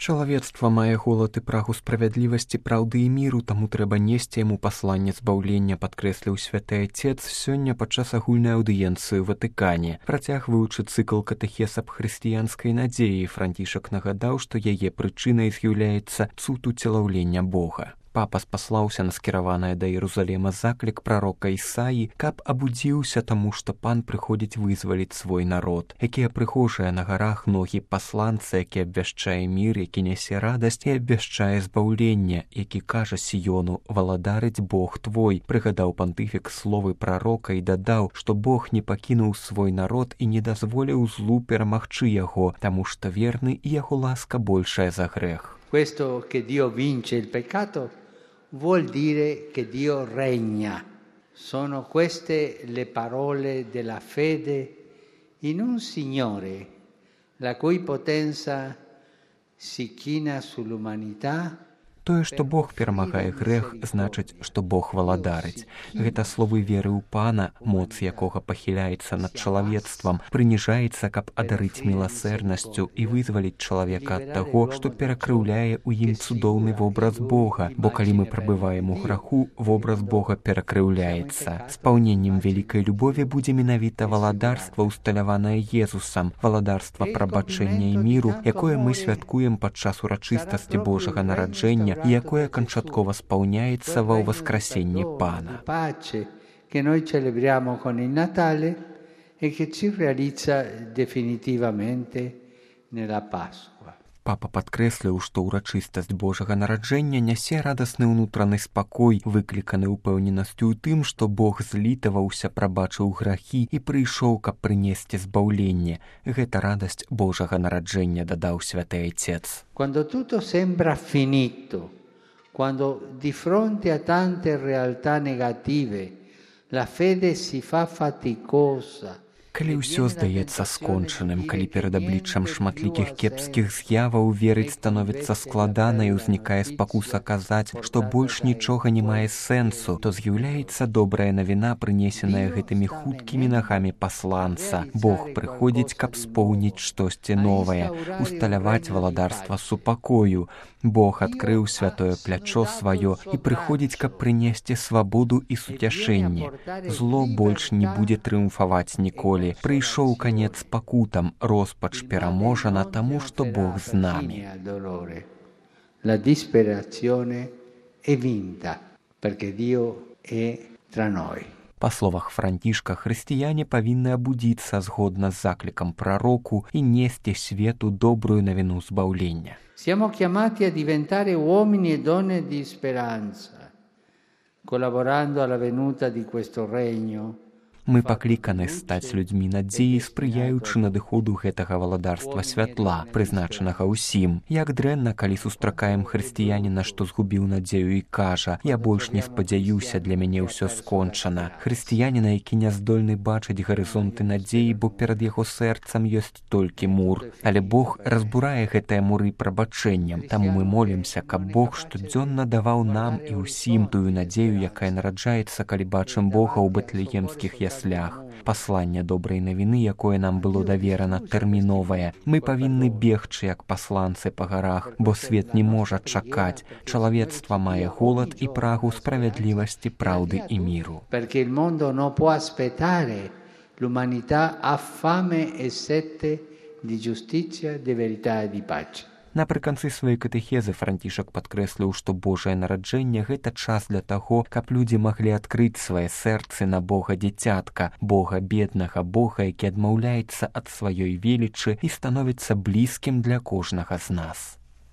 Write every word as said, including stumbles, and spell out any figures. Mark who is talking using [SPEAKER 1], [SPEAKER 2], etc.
[SPEAKER 1] Чалавецтва мае голад і прагу справядлівасці, праўды і міру, таму трэба несці яму пасланне збаўлення, падкрэсліў святы Отец сёння падчас агульнай аўдыенцыі ў Ватыкане. Працягваючы цыкл катэхез аб хрысціянскай надзеі, Францішак нагадаў, што яе прычынай з'яўляецца цуд уцелаўлення Бога. Папа спаслаўся на скіраванае да Єрусалема заклік прарока Ісаі, каб абудзіўся таму, што пан прыходзіць вызваліць свой народ. Якія прыгожыя на гарах ногі пасланца, які абвяшчае мір, які нясе радасць і абвяшчае збаўленне, які кажа Сіёну: «Валадарыць Бог твой», прыгадаў пантыфік словы прарока і дадаў, што Бог не пакінуў свой народ і не дазволіў злу перамагчы яго, таму што верны і яго ласка большая за грэх.
[SPEAKER 2] Questo che Dio vince il peccato vuol dire che Dio regna. Sono queste le parole della fede in un Signore, la cui potenza si china sull'umanità.
[SPEAKER 1] Тое, што Бог перамагае грэх, значыць, што Бог валадарыць. Гэта словы веры ў Пана, моц якога пахіляецца над чалавецтвам, прыніжаецца, каб адарыць міласэрнасцю і вызваліць чалавека ад таго, што перакрыўляе ў ім цудоўны вобраз Бога, бо калі мы прабываем у граху, вобраз Бога перакрыўляецца. Спаўненнем вялікай любові будзе менавіта валадарства, усталяванае Езусам, валадарства прабачэння і міру, якое мы святкуем падчас урачыстасці Божага нараджэння, і якое канчаткова спаўняецца ва ўваскрасенні Пана.
[SPEAKER 2] Che noi celebriamo con il Natale e che si realizza definitivamente nella Pasqua.
[SPEAKER 1] Папа падкрэсліў, што ўрачыстасць Божага нараджэння нясе радасны ўнутраны спакой, выкліканы ўпэўненасцю ў тым, што Бог злітаваўся, прабачыў грахі і прыйшоў, каб прынесці збаўленне. Гэта радасць Божага нараджэння, дадаў святы Отец.
[SPEAKER 2] Quando tutto sembra finito, quando di fronte a tante realtà negative la fede si fa faticosa.
[SPEAKER 1] Калі ўсё здаецца скончаным, калі перад абліччам шматлікіх кепскіх з'яваў верыць становіцца складана і ўзнікае спакуса казаць, што больш нічога не мае сэнсу, то з'яўляецца добрая навіна, прынесеная гэтымі хуткімі нагамі пасланца. Бог прыходзіць, каб споўніць штосьці новае, усталяваць валадарства супакою. Бог адкрыў святое плячо сваё і прыходзіць, каб прынесці свабоду і суцяшэнне. Зло больш не будзе трыумфаваць ніколі. Прыйшоў канец пакутам, роспач пераможана таму, што Бог з намі.
[SPEAKER 2] La disperazione è vinta, perché Dio è tra noi.
[SPEAKER 1] Па словах Францішка, хрысціяне павінны абудзіцца згодна з заклікам прароку і несці свету добрую навіну збаўлення.
[SPEAKER 2] Siamo chiamati a diventare uomini e donne di speranza, collaborando alla venuta di questo regno.
[SPEAKER 1] Мы пакліканы стаць людзьмі надзеі, спрыяючы надыходу гэтага валадарства святла, прызначанага ўсім. Як дрэнна, калі сустракаем хрысціяніна, што згубіў надзею і кажа: «Я больш не спадзяюся, для мяне ўсё скончана». Хрысціяніна, які не здольны бачыць гарызонты надзеі, бо перад яго сэрцам ёсць толькі мур. Але Бог разбурае гэтыя муры прабачэннем. Таму мы молімся, каб Бог штодзённа даваў нам і ўсім тую надзею, якая нараджаецца, калі бачым Бога ў бэтлеемскіх яслях. Пасланне добрай навіны, якое нам было даверана, тэрміновае. Мы павінны бегчы, як пасланцы па гарах, бо свет не можа чакаць. Чалавецтва мае голад і прагу справядлівасці, праўды і міру.
[SPEAKER 2] Perché il mondo non può aspettare. L'umanità ha fame e sete di giustizia, di verità e di pace.
[SPEAKER 1] Напрыканцы сваёй катэхезы Францішак падкрэсліў, што Божае нараджэнне – гэта час для таго, каб людзі маглі адкрыць свае сэрцы на Бога дзіцятка, Бога беднага, Бога, які адмаўляецца ад сваёй велічы і становіцца блізкім для кожнага з нас.